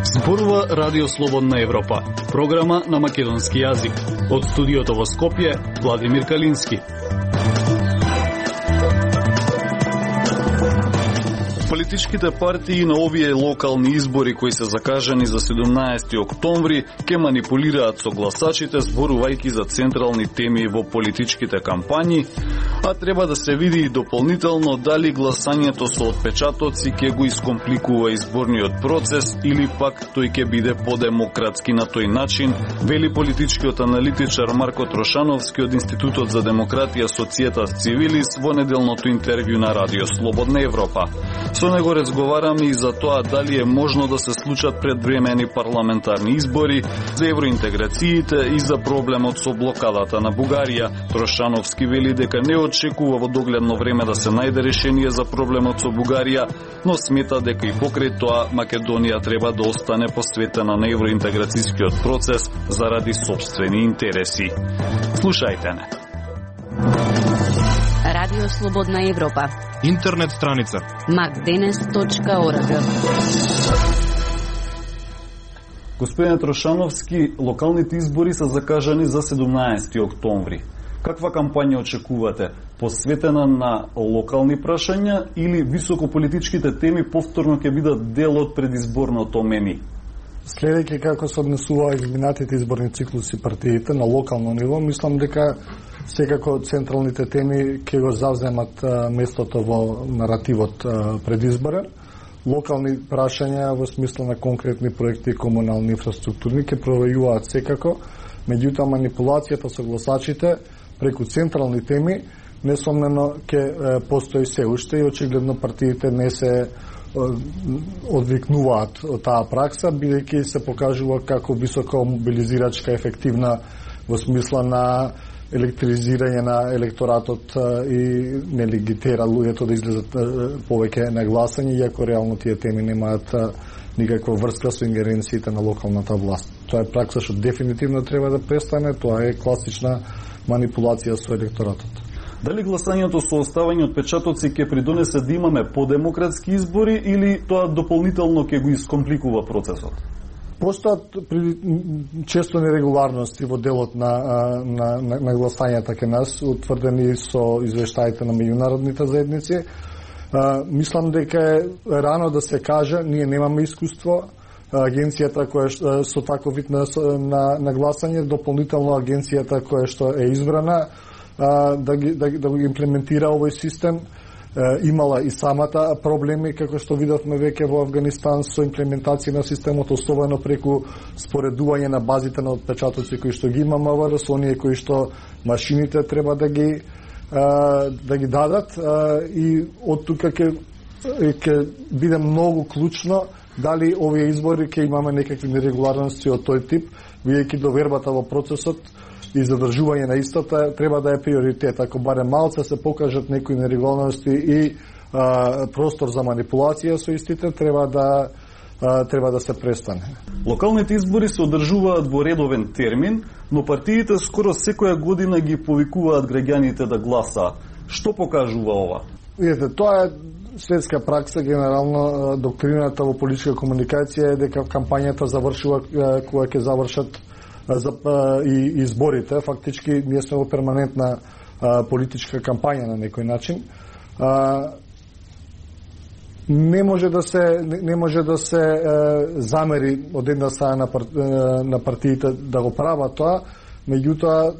Зборува Радио Слободна Европа, програма на македонски јазик. Од студиото во Скопје, Владимир Калински. Политичките партии на овие локални избори кои се закажани за 17 октомври ќе манипулираат со гласачите зборувајќи за централни теми во политичките кампањи, а треба да се види и дополнително дали гласањето со отпечатоци ќе го искомпликува изборниот процес или пак тој ќе биде подемократски на тој начин, вели политичкиот аналитичар Марко Трошановски од Институтот за демократија Societas Civilis во неделното интервју на Радио Слободна Европа. Со него разговараме и за тоа дали е можно да се случат предвремени парламентарни избори, за евроинтеграциите и за проблемот со блокадата на Бугарија. Трошановски вели дека не очекува во догледно време да се најде решение за проблемот со Бугарија, но смета дека и покрај тоа Македонија треба да остане посветена на евроинтеграцијскиот процес заради сопствени интереси. Слушајте не. Радио Слободна Европа. Интернет страница macdenes.org. Господин Трошановски, локалните избори се закажани за 17 октомври. Каква кампања очекувате? Посветена на локални прашања или високополитичките теми повторно ќе бидат дел од предизборното меми? Следејќи како се однесува изминатите изборни циклуси партиите на локално ниво, мислам дека секако централните теми ќе го завземат местото во наративот предизборен. Локални прашања во смисла на конкретни проекти и комунални инфраструктурни ќе провајуваат секако, меѓутоа манипулацијата со гласачите преку централни теми несомнено ќе постои се уште и очигледно партиите не се одвикнуваат од таа пракса, бидејќи се покажува како високо мобилизирачка ефективна во смисла на електризирање на електоратот и не легитира луѓето да излезат повеќе на гласање, иако реално тие теми немаат никаква врска со ингеренциите на локалната власт. Тоа е пракса што дефинитивно треба да престане, тоа е класична манипулација со електоратот. Дали гласањето со оставање отпечатоци ќе придонесе да имаме подемократски избори или тоа дополнително ќе го искомпликува процесот? Постојат често нерегуларности во делот на гласањата кај нас, утврдени со извештаите на меѓународните заедници. Мислам дека е рано да се каже, ние немаме искуство. Агенцијата која со таков вид на гласање, дополнително агенцијата која што е избрана да го имплементира овој систем, имала и самата проблеми, како што видовме веќе во Афганистан со имплементација на системот, особено преку споредување на базите на отпечатоци кои што ги има МВР со оние кои што машините треба да ги дадат, и од тука ќе биде многу клучно дали овие избори ќе имаме некакви нерегуларности од тој тип, бидејќи довербата во процесот и задржување на истата треба да е приоритет. Ако барем малце се покажат некои нерегуларности и простор за манипулација со истите, треба да се престане. Локалните избори се одржуваат во редовен термин, но партиите скоро секоја година ги повикуваат граѓаните да гласаат. Што покажува ова? Видете, тоа е светска пракса, генерално доктрината во политичка комуникација е дека кампањата завршува кога ќе завршат и изборите. Фактички ние сме во перманентна политичка кампања на некој начин. Не може да се замери од една страна на партиите да го прават тоа, меѓутоа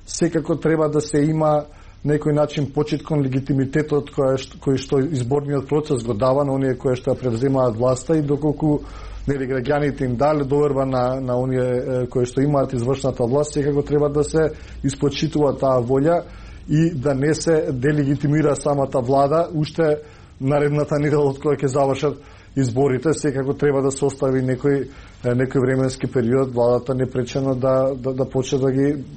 секако треба да се има некој начин почит кон легитимитетот кој што изборниот процес го дава на оние кои што ја превземаат власта, и доколку граѓаните им дали доверба на оние кои што имаат извршната власт, секако треба да се испочитува таа волја и да не се делегитимира самата влада уште наредната недела од која ќе завршат изборите. Секако треба да се остави некој временски период владата непречено да почне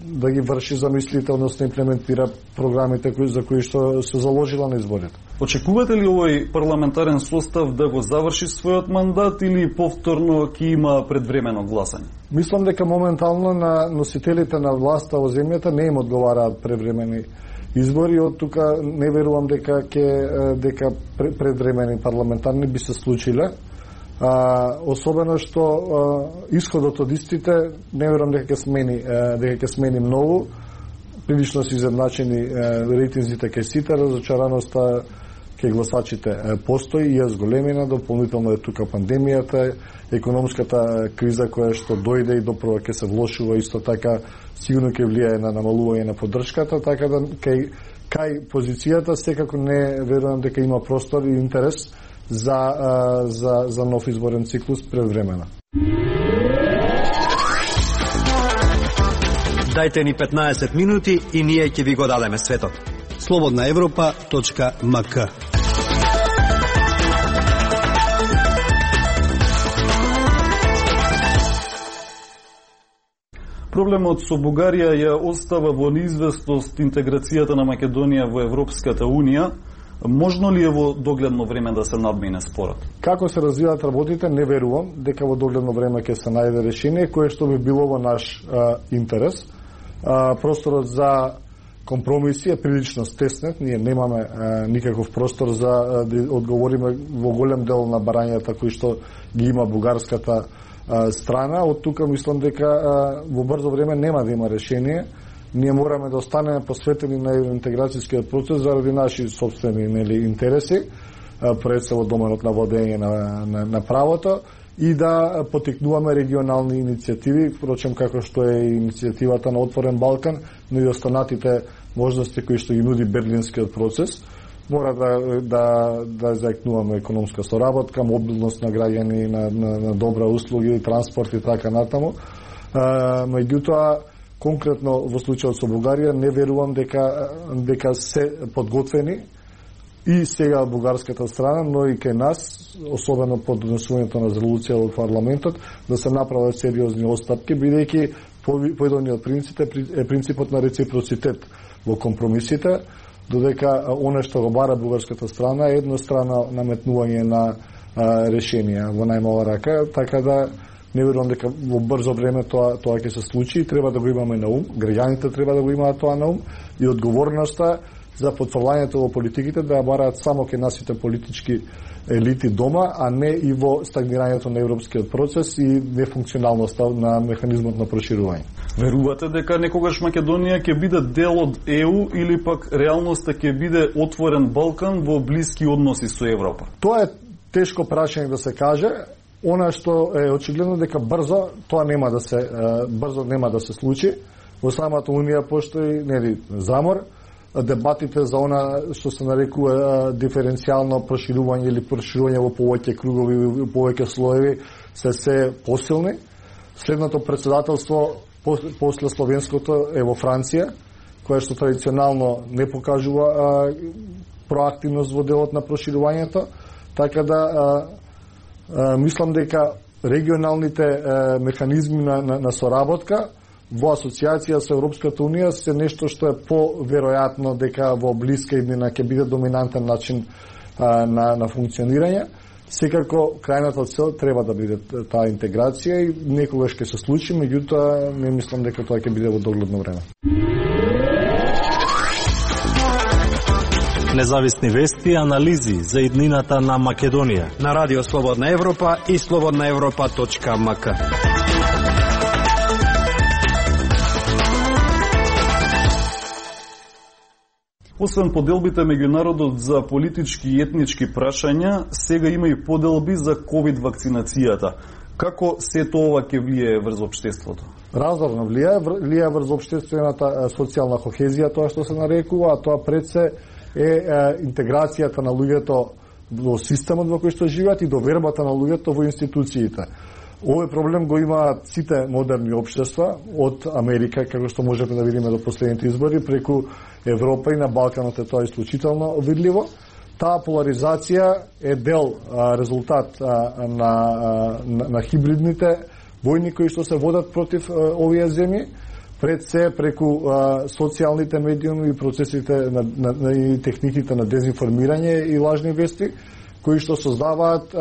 да ги врши замислите, односно имплементира програмите за кои што се заложила на изборите. Очекувате ли овој парламентарен состав да го заврши својот мандат или повторно ќе има предвремено гласање? Мислам дека моментално на носителите на власта во земјата не им одговараат превремени избори, од тука не верувам дека предвремени парламентарни би се случиле. Особено што исходот од истите не верувам дека ќе смени многу. Прилично се изедначени рейтинзите кај сите, разочараноста кај гласачите постои и е зголемена, дополнително е тука пандемијата, економската криза која што дојде и допрва ќе се влошува, исто така сигурно ќе влијае на намалување на поддршката, така да кај позицијата секако не верувам дека има простор и интерес за нов изборен циклус предвремено. Дајте ни 15 минути и ние ќе ви го дадеме светот. slobodnaevropa.mk. Проблемот со Бугарија ја остава во неизвестност интеграцијата на Македонија во Европската Унија. Можно ли е во догледно време да се надмине спорот? Како се развиваат работите, не верувам дека во догледно време ќе се најде решение кое што би било во наш интерес. Просторот за компромиси е прилично стеснет, ние немаме никаков простор за да одговориме во голем дел на барањата кои што ги има бугарската страна. Од тука мислам дека во брзо време нема да има решение. Ние мораме да останеме посветени на евроинтеграцијскиот процес заради наши собствени интереси, пред се во доменот на владење на правото, и да потикнуваме регионални иницијативи, впрочем како што е иницијативата на Отворен Балкан, но и останатите можности кои што ги нуди Берлинскиот процес. Мора да заекнуваме економска соработка, мобилност на граѓани, на добра услуги, транспорт и така натаму. Меѓутоа, конкретно во случајот со Бугарија, не верувам дека се подготвени и сега бугарската страна, но и кај нас, особено под донесувањето на резолуција во парламентот, да се направат сериозни отстапки, бидејќи поедниот принцип е принципот на реципроцитет во компромисите, додека оно што го бара бугарската страна е еднострано наметнување на решенија во најмала рака, така да не верувам дека во брзо време тоа ќе се случи и треба да го имаме на ум, граѓаните треба да го имаат тоа на ум и одговорноста за потврлањето во политиките да ја бараат само кај насите политички елити дома, а не и во стагнирањето на европскиот процес и нефункционалноста на механизмот на проширување. Верувате дека некогаш Македонија ќе биде дел од ЕУ или пак реалноста ќе биде отворен Балкан во блиски односи со Европа? Тоа е тешко прашање да се каже. Она што е очигледно дека брзо нема да се случи. Во самата Унија постои замор. Дебатите за она што се нарекува диференцијално проширување или проширување во повеќе кругови, во повеќе слоеви се посилни. Следното председателство после словенското е во Франција, која што традиционално не покажува проактивност во делот на проширувањето, така да мислам дека регионалните механизми на соработка во асоциација со Европската Унија се нешто што е поверојатно дека во блиска иднина ќе биде доминантен начин на функционирање. Секако крајната цел треба да биде таа интеграција и некогаш ќе се случи, меѓутоа не мислам дека тоа ќе биде во догледно време. Независни вести и анализи за иднината на Македонија на Радио Слободна Европа и slobodnaevropa.mk. Освен поделбите меѓу народот за политички и етнички прашања, сега има и поделби за ковид вакцинацијата. Како сето ова ќе влијае врз општеството? Разорно влијае врз општествената социјална кохезија, тоа што се нарекува, а тоа пред се е интеграцијата на луѓето во системот во кој што живеат и довербата на луѓето во институциите. Овој проблем го имаат сите модерни општества, од Америка, како што можеме да видиме до последните избори, преку Европа и на Балканот е тоа исклучително видливо. Таа поларизација е дел резултат на хибридните војни кои што се водат против овие земји, пред се преку социјалните медиуми и процесите и техниките на дезинформирање и лажни вести, кои што создаваат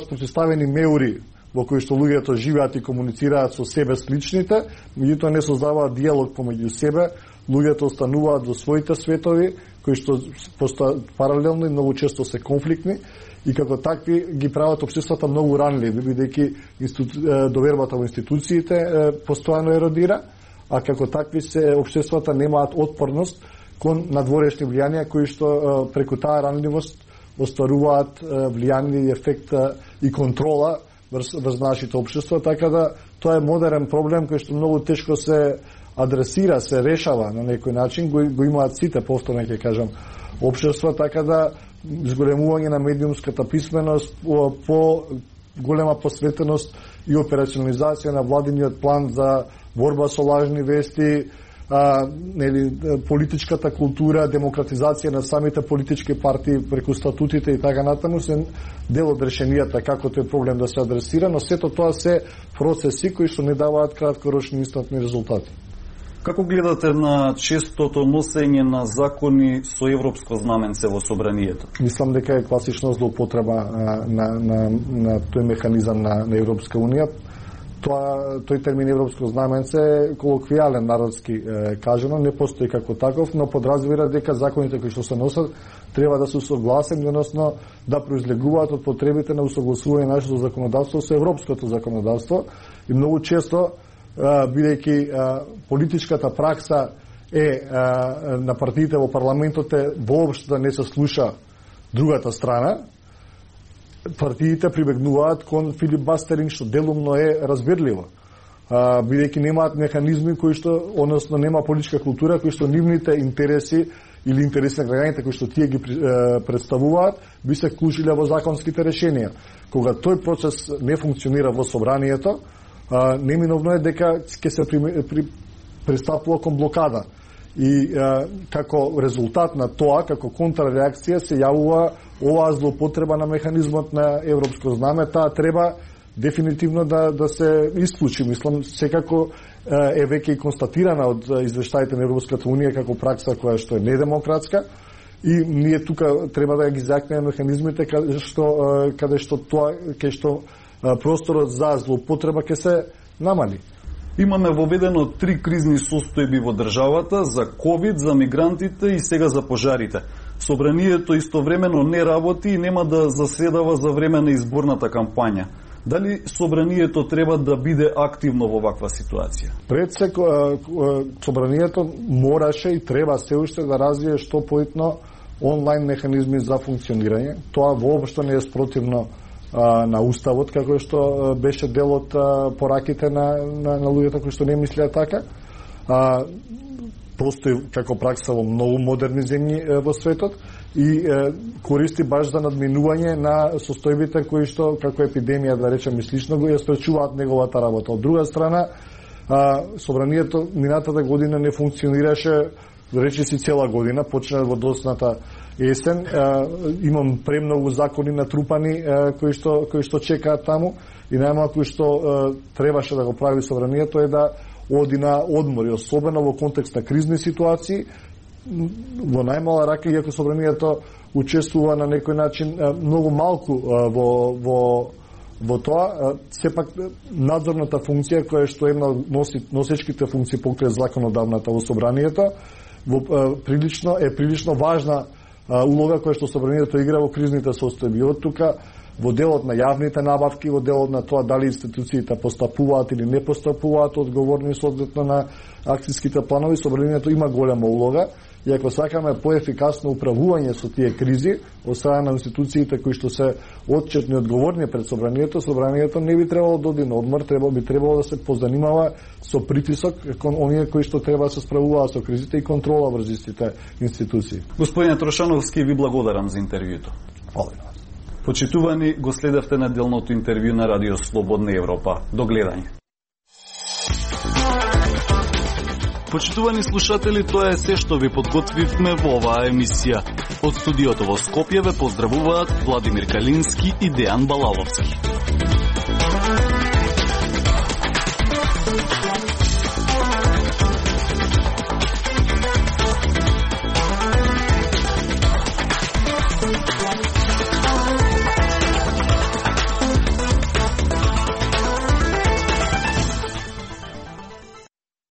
спротивставени меури во кои што луѓето живеат и комуницираат со себе сличните, меѓутоа не создаваат диалог помеѓу себе, луѓето остануваат во своите светови, кои што постојат паралелно и многу често се конфликтни, и како такви ги прават општествата многу ранливи, бидејќи довербата во институциите постојано еродира, а како такви се општествата немаат отпорност кон надворешни влијанија кои што преку таа ранливост остваруваат влијание и ефект и контрола врз нашите општества, така да тоа е модерен проблем кој што многу тешко се адресира, се решава на некој начин, го имаат сите, повторно ќе кажам, општества, така да зголемување на медиумската писменост, по голема посветеност и операционализација на владиниот план за борба со лажни вести, политичката култура, демократизација на самите политички партии преку статутите и така натаму се дел од решенијата како тој проблем да се адресира, но сето тоа се процеси кои што не даваат краткорочни инстантни резултати. Како гледате на честото носење на закони со европско знаменце во собранието? Мислам дека е класична злоупотреба на тој механизам на Европска унија. Тој термин европско знаменце е колоквијален, народски кажано, не постои како таков, но подразбира дека законите кои што се носат треба да се усогласени, односно да произлегуваат од потребите на усогласување на нашето законодавство со европското законодавство. И многу често, бидејќи политичката пракса на партиите во парламентот воопшто да не се слуша другата страна, партиите прибегнуваат кон филибастеринг, што делумно е разбирливо, бидејќи немаат механизми кои што, односно нема политичка култура кои што нивните интереси или интереси на граѓаните кои што тие ги представуваат би се вклучиле во законските решенија. Кога тој процес не функционира во собранието, неминовно е дека ќе се пристапува кон блокада. И како резултат на тоа, како контрреакција се јавува оваа злоупотреба на механизмот на европско знаме. Таа треба дефинитивно да се исклучи. Мислам, секако е веќе и констатирана од извештаите на Европската унија како пракса која што е недемократска, и ние тука треба да ги закнеме механизмите каде што просторот за злоупотреба ќе се намали. Имаме воведено 3 кризни состојби во државата, за ковид, за мигрантите и сега за пожарите. Собранието истовремено не работи и нема да заседава за време на изборната кампања. Дали собранието треба да биде активно во ваква ситуација? Пред се, собранието мораше и треба се уште да развие што поитно онлайн механизми за функционирање. Тоа воопшто не е спротивно на уставот, како што беше дел од пораките на луѓето кои што не мислеа така. Постои како пракса во многу модерни земји во светот и користи баш за надминување на состојбите кои што, како епидемија, да речем и слично, го ја спречуваат неговата работа. Од друга страна, собранието минатата година не функционираше, речиси цела година, почна во досната есен. Имам премногу закони натрупани кои што чекаат таму, и најмалку што требаше да го прави собранието е да оди на одмори, особено во контекст на кризни ситуации. Во најмала рака, иако собранието учествува на некој начин многу малку во тоа, сепак надзорната функција која што е носечките функции покрај законодавната во собранието, прилично важна улога која што собранието игра во кризните состојби. Од тука во делот на јавните набавки, во делот на тоа дали институциите постапуваат или не постапуваат одговорни соодветно на акцијските планови, собранието има голема улога. И ако сакаме поефикасно управување со тие кризи од страна на институциите кои што се отчетни и одговорни пред собранието не би требало да оди на одмор, би требало да се позанимава со притисок кон оние кои што треба да се справуваат со кризите и контрола врз истите институции. Господине Трошановски, ви благодарам за интервјуто. Фала. Почитувани, го следевте неделното интервју на Радио Слободна Европа. До гледање. Почитувани слушатели, тоа е се што ви подготвивме во оваа емисија. Од студиото во Скопје ве поздравуваат Владимир Калински и Дејан Балаловски.